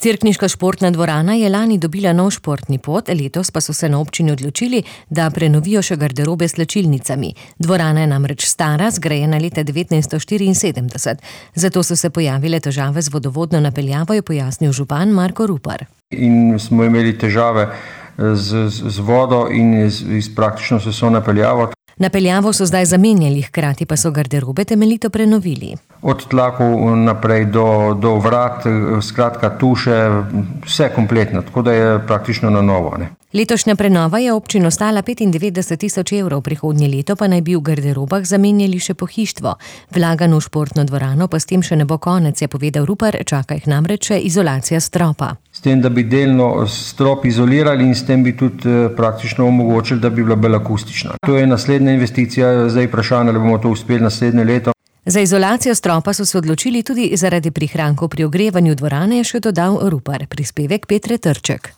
Cerkniška športna dvorana je lani dobila nov športni pod, letos pa so se na občini odločili, da prenovijo še garderobe s slačilnicami. Dvorana je namreč stara, zgrajena leta 1974. Zato so se pojavile težave z vodovodno napeljavo, je pojasnil župan Marko Rupar. In smo imeli težave z vodo in praktično s vso napeljavo. Napeljavo so zdaj zamenjali, hkrati pa so garderobe temeljito prenovili. Od tlakov naprej do vrat, skratka tuše, vse kompletno, tako da je praktično na novo. Letošnja prenova je občino stala 95.000 evrov, prihodnje leto pa naj bi v garderobah zamenjali še pohištvo. Vlaganj v športno dvorano pa s tem še ne bo konec, je povedal Rupar, čaka jih namreč še izolacija stropa. S tem, da bi delno strop izolirali in s tem bi tudi praktično omogočili, da bi bila bolj akustična. To je naslednja investicija, zdaj vprašanje, ali bomo to uspeli naslednje leto. Za izolacijo stropa so se odločili tudi zaradi prihrankov pri ogrevanju dvorane, je še dodal Rupar. Prispevek Petre Trček.